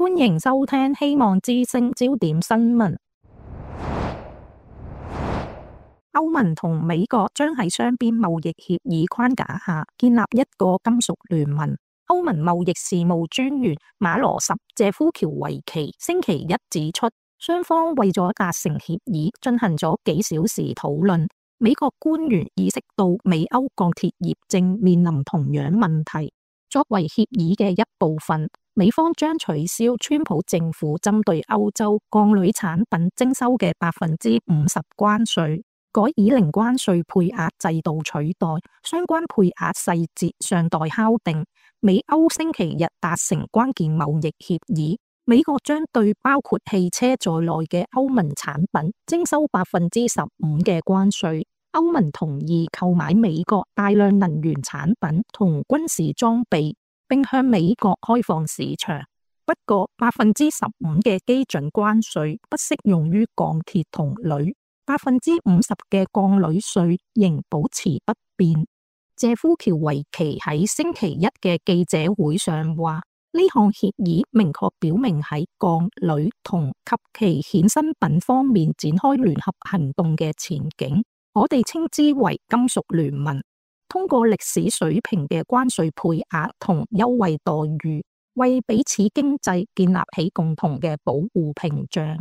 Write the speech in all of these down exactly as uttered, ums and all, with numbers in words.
歡迎收聽希望之聲焦點新聞。歐盟同美國將喺雙邊貿易協議框架下建立一個金屬聯盟。歐盟貿易事務專員馬羅什謝夫喬維奇星期一指出，雙方為咗達成協議進行咗幾小時討論。美國官員意識到美歐鋼鐵業正面臨同樣問題。作為協議嘅一部分，美方將取消川普政府針對歐洲鋼鋁產品徵收嘅百分之五十關稅，改以零關稅配額制度取代。相關配額細節尚待敲定。美歐星期日達成關鍵貿易協議，美國將對包括汽車在內嘅歐盟產品徵收百分之十五嘅關稅。歐盟同意購買美國大量能源產品同軍事裝備，並向美國開放市場。不過，百分之十五嘅基準關稅不適用於鋼鐵同鋁，百分之五十嘅鋼鋁稅仍保持不變。謝夫喬維奇喺星期一嘅記者會上話，呢項協議明確表明喺鋼鋁同及其衍生品方面展開聯合行動嘅前景。我哋稱之為金屬聯盟，通過歷史水平嘅關稅配額同優惠待遇，為彼此經濟建立起共同嘅保護屏障。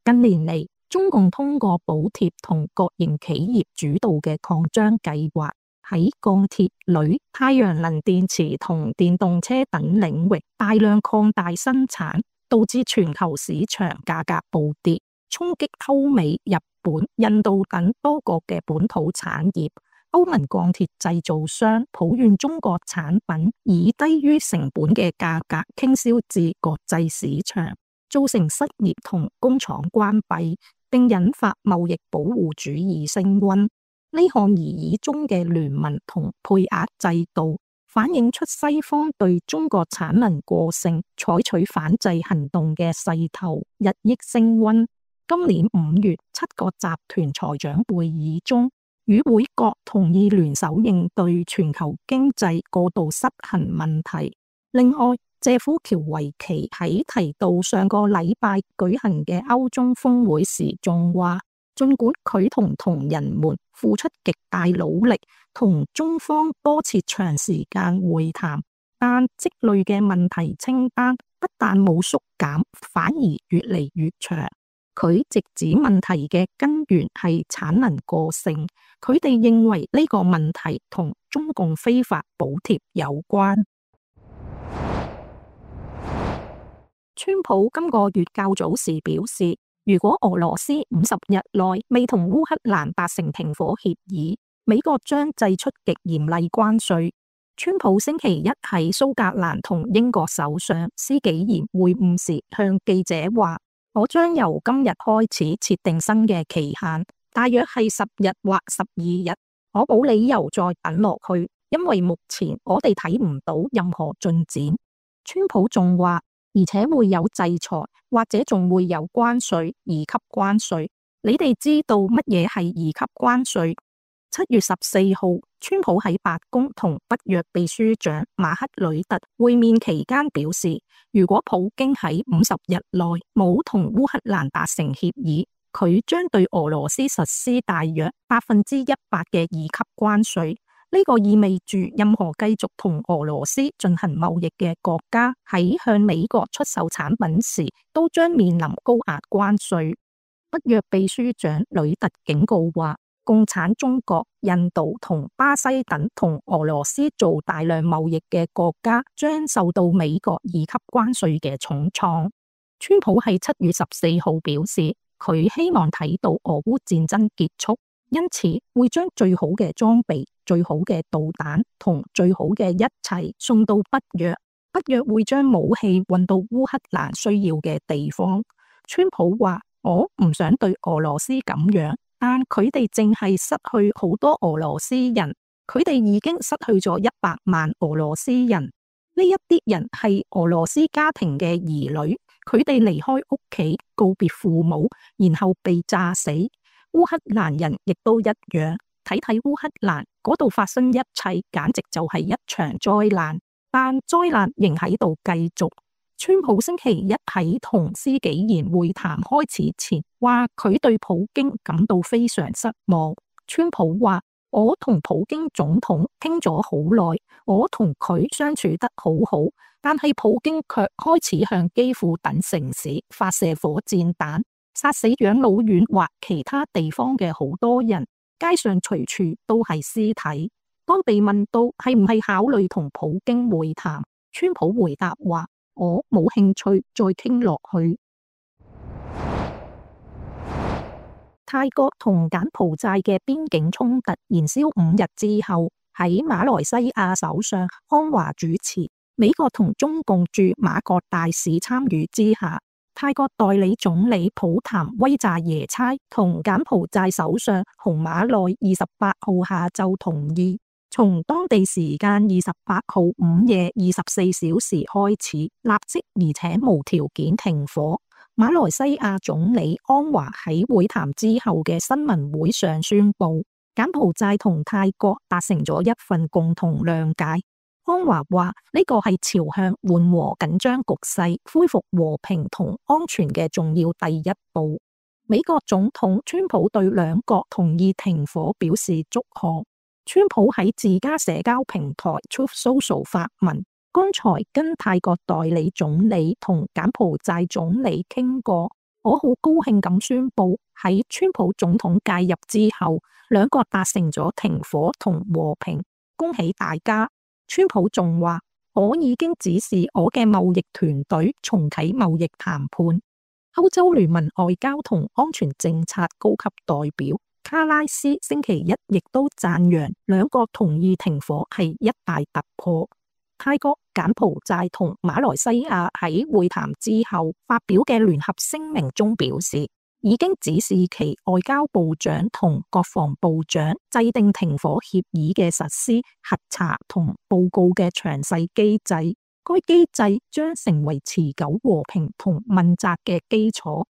近年嚟，中共通過補貼同國營企業主導嘅擴張計劃，喺鋼鐵、鋁、太陽能電池同電動車等領域大量擴大生產，導致全球市場價格暴跌，衝擊歐美、日本、印度等多國嘅本土產業。歐盟鋼鐵製造商抱怨中國產品以低於成本嘅價格傾銷至國際市場，造成失業同工廠關閉，並引發貿易保護主義升溫。呢項擬議中嘅聯盟同配額制度，反映出西方對中國產能過剩採取反制行動嘅勢頭日益升溫。今年五月，七個集團財長會議中，與會國同意聯手應對全球經濟過度失衡問題。另外，謝夫喬維奇喺提到上個禮拜舉行嘅歐中峰會時，仲話，儘管佢同同仁們付出極大努力，同中方多次長時間會談，但積累嘅問題清單不但冇縮減，反而越嚟越長。佢直指問題嘅根源係產能過剩，佢哋認為呢個問題同中共非法補貼有關。川普今個月較早時表示，如果俄羅斯五十日內未同烏克蘭達成停火協議，美國將祭出極嚴厲關稅。川普星期一喺蘇格蘭同英國首相施紀賢會晤時向記者話，我將由今日開始設定新嘅期限，大約係十日或十二日。我冇理由再等落去，因為目前我哋睇唔到任何進展。川普仲話，而且會有制裁，或者仲會有關稅，二級關稅。你哋知道乜嘢係二級關稅？七月十四號，川普喺白宮同北約秘書長馬克呂特會面期間表示，如果普京喺五十日內冇同烏克蘭達成協議，佢將對俄羅斯實施大約百分之一百嘅二級關稅。呢個意味住任何繼續同俄羅斯進行貿易嘅國家喺向美國出售產品時，都將面臨高額關稅。北約秘書長呂特警告話，共產中國、印度同巴西等同俄羅斯做大量貿易嘅國家將受到美國二級關稅嘅重創。川普喺七月十四號表示，佢希望睇到俄烏戰爭結束，因此會將最好嘅裝備、最好嘅導彈同最好嘅一切送到北約。北約會將武器運到烏克蘭需要嘅地方。川普話，我唔想對俄羅斯咁樣。但佢哋淨係失去好多俄羅斯人，佢哋已經失去咗一百萬俄羅斯人。呢一啲人係俄羅斯家庭嘅兒女，佢哋離開屋企，告別父母，然後被炸死。烏克蘭人亦都一樣，睇睇烏克蘭嗰度發生一切，簡直就係一場災難。但災難仍喺度繼續。川普星期一喺同施紀賢會談開始前，話佢對普京感到非常失望。川普話：我同普京總統傾咗好耐，我同佢相處得好好，但係普京卻開始向基輔等城市發射火箭彈，殺死養老院或其他地方嘅好多人，街上隨處都係屍體。當被問到係唔係考慮同普京會談，川普回答話：我冇興趣再傾落去。泰國同柬埔寨嘅邊境衝突燃燒五日之後，喺馬來西亞首相安華主持、美國同中共駐馬國大使參與之下，泰國代理總理普譚威扎耶差同柬埔寨首相洪馬內二十八號下晝同意，從當地時間二十八號午夜二十四小時開始，立即而且無條件停火。馬來西亞總理安華喺會談之後嘅新聞會上宣布，柬埔寨同泰國達成咗一份共同諒解。安華話呢個係朝向緩和緊張局勢、恢復和平同安全嘅重要第一步。美國總統川普對兩國同意停火表示祝賀。川普喺自家社交平台 Truth Social 發文，剛才跟泰國代理總理同柬埔寨總理傾過，我好高興咁宣布喺川普總統介入之後，兩國達成咗停火同和平，恭喜大家。川普仲話，我已經指示我嘅貿易團隊重啟貿易談判。歐洲聯盟外交同安全政策高級代表卡拉斯星期一亦都讚揚兩國同意停火係一大突破。泰國、柬埔寨同馬來西亞喺會談之後發表嘅聯合聲明中表示，已經指示其外交部長同國防部長制定停火協議嘅實施、核查同報告嘅詳細機制。該機制將成為持久和平同問責嘅基礎。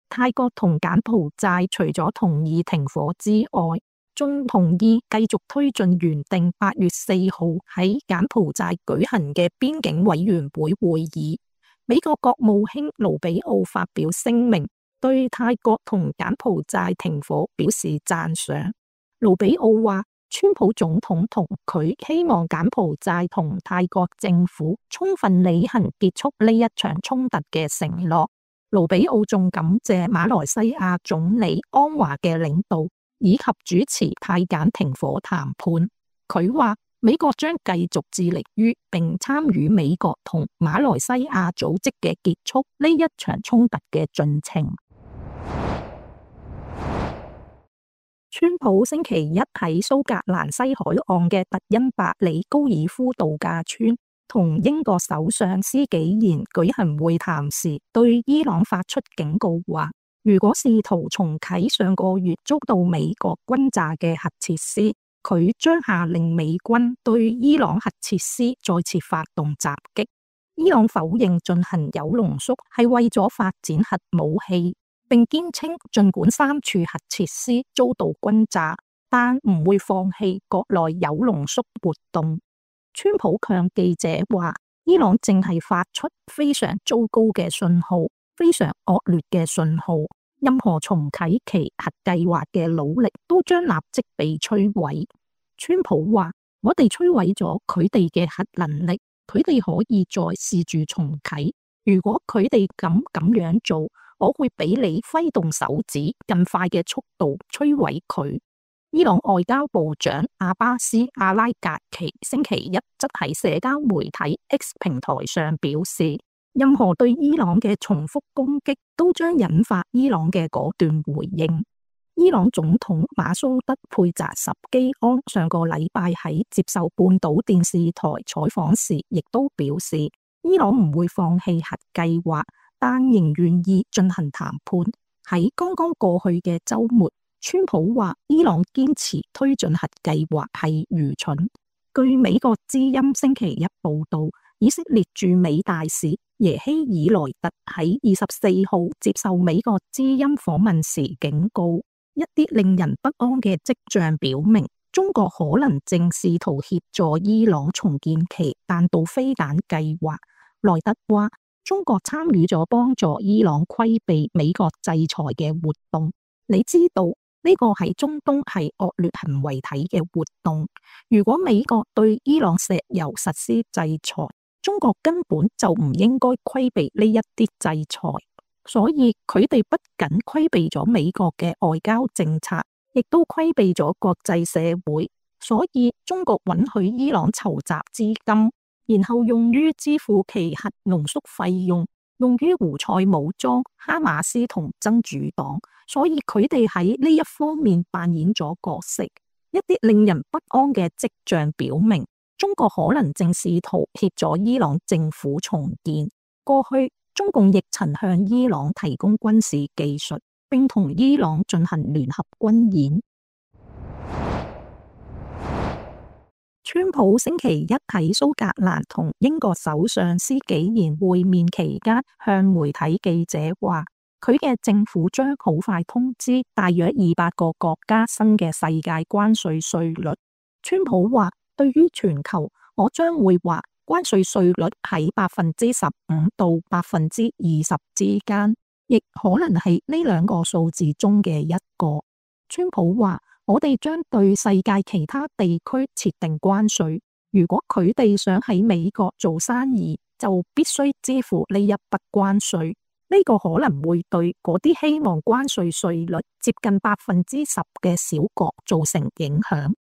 泰國同柬埔寨除咗同意停火之外，仲同意繼續推進原定八月四號喺柬埔寨舉行嘅邊境委員會會議。美國國務卿盧比奧發表聲明，對泰國同柬埔寨停火表示讚賞。盧比奧話，川普總統同佢希望柬埔寨同泰國政府充分履行結束呢一場衝突嘅承諾。盧比奧仲感謝馬來西亞總理安華嘅領導以及主持泰柬停火談判。佢話美國將繼續致力於並參與美國同馬來西亞組織嘅結束呢一場衝突嘅進程。川普星期一喺蘇格蘭西海岸嘅特恩伯里高爾夫度假村同英國首相施紀賢舉行會談時，對伊朗發出警告，話如果試圖重啟上個月遭到美國轟炸嘅核設施，佢將下令美軍對伊朗核設施再次發動襲擊。伊朗否認進行鈾濃縮係為咗發展核武器，並堅稱儘管三處核設施遭到轟炸，但唔會放棄國內鈾濃縮活動。川普向記者話，伊朗正係發出非常糟糕嘅信號，非常惡劣嘅信號，任何重啟其核計劃嘅努力都將立即被摧毀。川普話，我哋摧毀咗佢哋嘅核能力，佢哋可以再試住重啟。如果佢哋敢咁樣做，我會比你揮動手指更快嘅速度摧毀佢。伊朗外交部長阿巴斯阿拉格奇星期一則喺社交媒體 X 平台上表示，任何對伊朗嘅重複攻擊都將引發伊朗嘅果斷回應。伊朗總統馬蘇德佩扎什基安上個禮拜喺接受半島電視台採訪時，亦都表示，伊朗唔會放棄核計劃，但仍願意進行談判。喺剛剛過去嘅週末，川普話伊朗堅持推進核計劃係愚蠢。據美國之音星期一報道，以色列駐美大使耶希爾萊特喺二十四號接受美國之音訪問時警告，一啲令人不安嘅跡象表明，中國可能正試圖協助伊朗重建其彈道飛彈計劃。萊特話，中國參與咗幫助伊朗規避美國制裁嘅活動。你知道呢個喺中東係惡劣行為體嘅活動。如果美國對伊朗石油實施制裁，中國根本就唔應該規避呢一啲制裁。所以佢哋不僅規避咗美國嘅外交政策，亦都規避咗國際社會。所以中國允許伊朗籌集資金，然後用於支付其核濃縮費用，用於胡塞武裝、哈馬斯同真主黨。所以佢哋喺呢一方面扮演咗角色。一啲令人不安嘅跡象表明，中國可能正試圖協助伊朗政府重建。過去中共亦曾向伊朗提供軍事技術，並同伊朗進行聯合軍演。川普星期一喺蘇格蘭同英國首相施紀賢會面期間，向媒體記者話，佢嘅政府將好快通知大約二百個國家新嘅世界關稅稅率。川普話，對於全球，我將會話關稅稅率喺百分之十五到百分之二十之間，亦可能係呢兩個數字中嘅一個。川普話，我哋將對世界其他地區設定關稅，如果佢哋想喺美國做生意，就必須支付呢一筆關稅。呢個可能會對嗰啲希望關稅稅率接近百分之十嘅小國造成影響。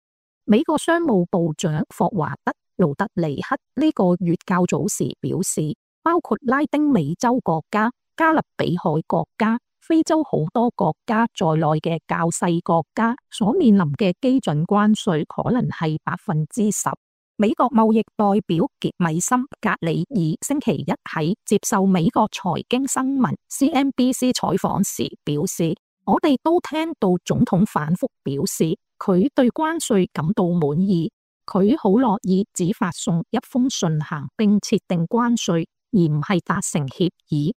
美國商務部長霍華德·盧特尼克呢個月較早時表示，包括拉丁美洲國家、加勒比海國家、非洲好多國家在內嘅較細國家所面臨嘅基準關稅可能係百分之十。美國貿易代表傑米森·格里爾星期一喺接受美國財經新聞 C N B C 採訪時表示，我哋都聽到總統反覆表示佢對關稅感到滿意，佢好樂意只發送一封信函並設定關稅，而唔係達成協議。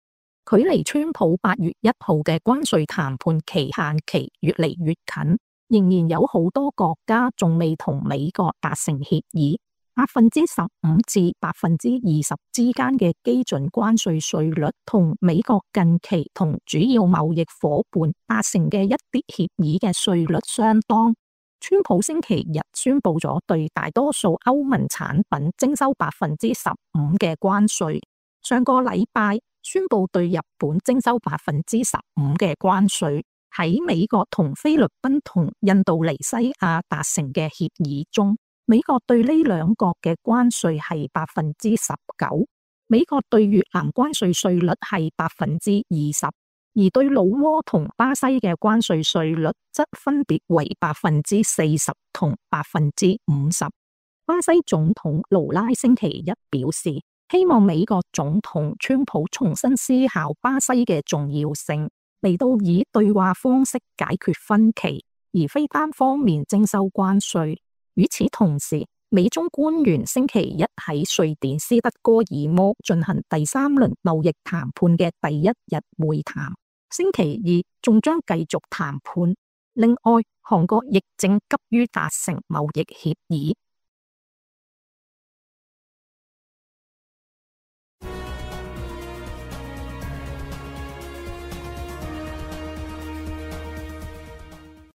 距離川普八月一號嘅關稅談判期限期越嚟越近，仍然有好多國家仲未同美國達成協議。百分之十五至百分之二十之間嘅基準關稅稅率，同美國近期同主要貿易夥伴達成嘅一啲協議嘅稅率相當。川普星期日宣布咗對大多數歐盟產品徵收百分之十五嘅關稅，上個禮拜宣布對日本徵收百分之十五嘅關稅。喺美國同菲律賓同印度尼西亞達成嘅協議中，美國對呢兩國嘅關稅係百分之十九，美國對越南關稅稅率係百分之二十，而對老撾同巴西嘅關稅稅率則分別為百分之四十同百分之五十。巴西總統盧拉星期一表示，希望美國總統川普重新思考巴西嘅重要性，嚟到以對話方式解決分歧，而非單方面徵收關稅。與此同時，美中官員星期一喺瑞典斯德哥爾摩進行第三輪貿易談判嘅第一日會談，星期二仲將繼續談判。另外，韓國亦正急於達成貿易協議，